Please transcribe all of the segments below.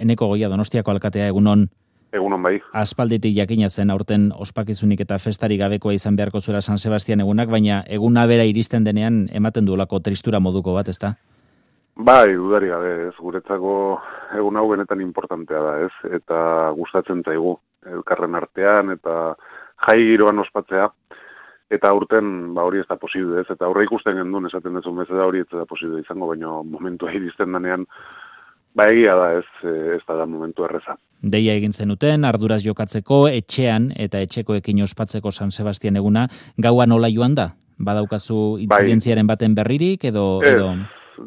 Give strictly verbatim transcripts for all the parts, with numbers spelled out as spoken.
Eneko Goia, Donostiako alkatea, egunon. Egunon bai. Aspalditik jakina zen aurten ospakizunik eta festari gabekoa izan beharko zuela San Sebastian egunak, baina eguna bera iristen denean ematen duelako tristura moduko bat, ezta? Bai, dudari gabe, ez, guretzako egun hau benetan importantea da, ez, eta gustatzen zaigu elkarren artean, eta jai giroan ospatzea, eta aurten ba hori ez da posible, ez, eta aurre ikusten gendun esaten dezun bezala hori ez da posible izango, baina momentua iristen denean, ba egia da, ez, ez da da momentu erreza. Deia egin zenuten, arduraz jokatzeko, etxean eta etxekoekin ospatzeko San Sebastian eguna, gaua nola joan da? Badaukazu intzidentziaren baten berririk, edo... Ez, edo...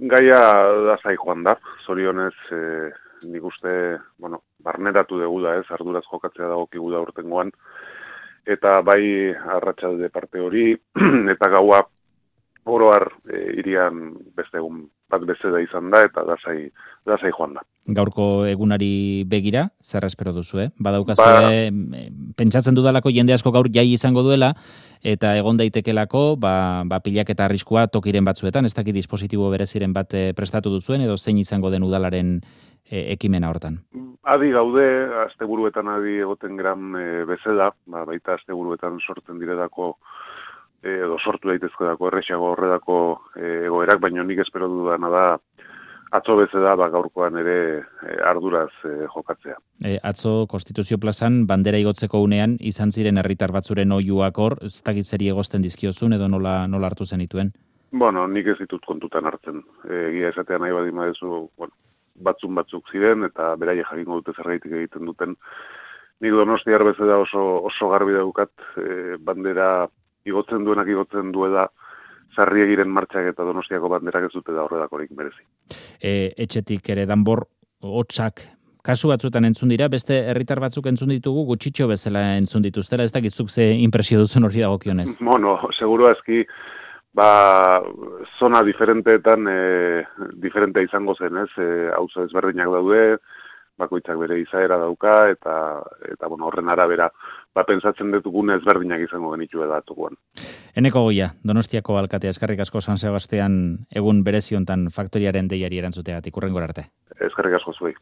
gaia da zai joan da, zorionez e, nik uste, bueno, barneratu dugu da, ez, arduraz jokatzea dagokigu da urtengoan, eta bai arratsalde parte hori, eta gaua oroar e, irian beste egun bat bezeda izan da, eta dasai, dasai joan da. Gaurko egunari begira, zer espero duzu, eh? Badaukazue, ba, pentsatzen dudalako jende asko gaur jai izango duela, eta egon daitekelako, ba, ba pilak eta arriskua tokiren batzuetan, ez dakit dispositibo bereziren bat prestatu duzuen, edo zein izango den udalaren e, ekimena hortan? Adi gaude, asteburuetan adi egoten gran e, bezala, ba, baita asteburuetan sortzen direlako, edo sortu daitezkodako erresago horredako egoerak, baina nik espero dudana da atzo bezala ba, gaurkoan ere e, arduraz e, jokatzea. E, atzo Konstituzio plazan bandera igotzeko unean izan ziren herritar batzuen oihuak hor, ez dakit zeri egozten dizkiozun edo nola, nola hartu zenituen? Bueno, nik ez ditut kontutan hartzen. Egia esatea nahi badin badezu, bueno, batzun batzuk ziren eta beraie jakingo dute zergaitik egiten duten. Nik Donostiar bezala oso, oso garbi daukat e, bandera igotzen duenak igotzen duela, Sarriegiren martxak eta Donostiako banderak ez dute da horredakorik merezi. E, etxetik ere danbor, hotsak, kasu batzuetan entzun dira, beste herritar batzuk entzun ditugu, gutxitxo bezala entzun dituztera, ez dakitzuk ze impresio duzun hori dagokionez. Bueno, seguru aski, ba, zona diferenteetan e, diferente izango zen, ez, e, auzo ezberdinak daude, bakoitzak bere izaera dauka, eta, eta bueno, horren arabera, ba, pentsatzen dutugune ezberdinak izango genitu edatuguan. Eneko Goia, Donostiako alkatea, eskerrik asko San Sebastian egun bereziontan faktoriaren deiari erantzuteagatik, hurrengora arte. Eskerrik asko zuei.